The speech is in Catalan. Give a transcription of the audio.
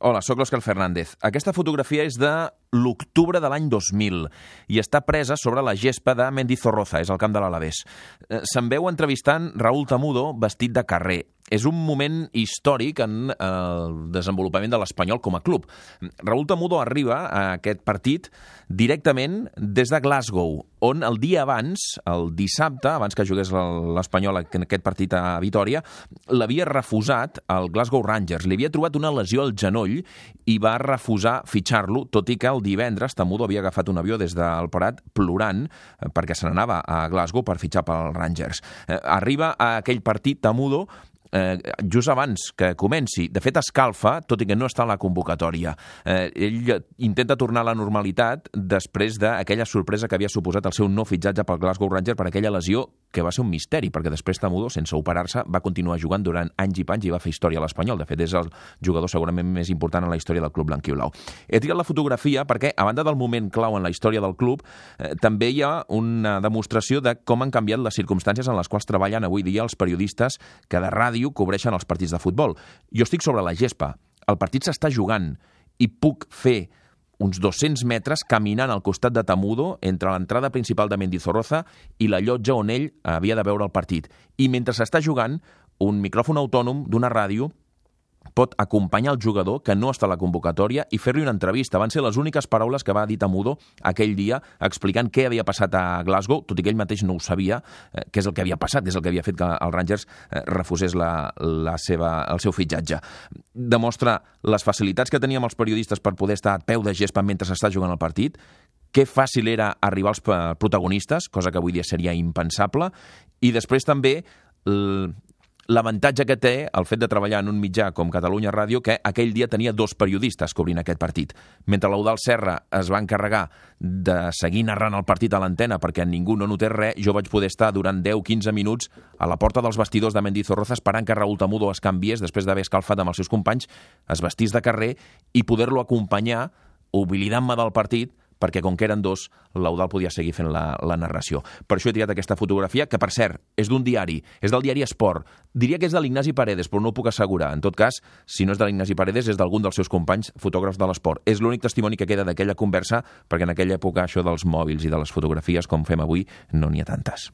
Hola, sóc l'Òscar Fernández. Aquesta fotografia és de l'octubre de l'any 2000 i està presa sobre la gespa de Mendizorroza, és el camp de l'Alavés. Se'n veu entrevistant Raúl Tamudo vestit de carrer. És un moment històric en el desenvolupament de l'Espanyol com a club. Raúl Tamudo arriba a aquest partit directament des de Glasgow, on el dia abans, el dissabte, abans que jugués l'Espanyol en aquest partit a Vitòria, l'havia refusat el Glasgow Rangers. Li havia trobat una lesió al genoll i va refusar fitxar-lo, tot i que el divendres Tamudo havia agafat un avió des del Prat plorant perquè se n'anava a Glasgow per fitxar pel Rangers. Arriba a aquell partit Tamudo just abans que comenci. De fet, escalfa, tot i que no està a la convocatòria. Ell intenta tornar a la normalitat després d'aquella sorpresa que havia suposat el seu no fitxatge pel Glasgow Rangers per aquella lesió que va ser un misteri, perquè després Tamudo, sense operar-se, va continuar jugant durant anys i panys i va fer història a l'Espanyol. De fet, és el jugador segurament més important en la història del club blanquioblau. He triat la fotografia perquè, a banda del moment clau en la història del club, també hi ha una demostració de com han canviat les circumstàncies en les quals treballen avui dia els periodistes que de ràdio cobreixen els partits de futbol. Jo estic sobre la gespa, el partit s'està jugant i puc fer uns 200 metres caminant al costat de Tamudo entre l'entrada principal de Mendizorroza i la llotja on ell havia de veure el partit. I mentre s'està jugant, un micròfon autònom d'una ràdio pot acompanyar el jugador que no està a la convocatòria i fer-li una entrevista. Van ser les úniques paraules que va dir Tamudo aquell dia explicant què havia passat a Glasgow, tot i que ell mateix no ho sabia, què és el que havia passat, què és el que havia fet que el Rangers refusés el seu fitxatge. Demostra les facilitats que teníem els periodistes per poder estar a peu de gespa mentre s'està jugant el partit, que fàcil era arribar als protagonistes, cosa que avui dia seria impensable, i després també l'avantatge que té el fet de treballar en un mitjà com Catalunya Ràdio, que aquell dia tenia 2 periodistes cobrint aquest partit. Mentre l'Eudald Serra es va encarregar de seguir narrant el partit a l'antena perquè ningú no notés res, jo vaig poder estar durant 10-15 minuts a la porta dels vestidors de Mendizorroza esperant que Raúl Tamudo es canviés després d'haver escalfat amb els seus companys, es vestís de carrer i poder-lo acompanyar oblidant-me del partit, perquè com que eren 2, l'Eudald podia seguir fent la narració. Per això he triat aquesta fotografia, que per cert, és d'un diari, és del diari Esport. Diria que és de l'Ignasi Paredes, però no ho puc assegurar. En tot cas, si no és de l'Ignasi Paredes, és d'algun dels seus companys fotògrafs de l'esport. És l'únic testimoni que queda d'aquella conversa, perquè en aquella època això dels mòbils i de les fotografies, com fem avui, no n'hi ha tantes.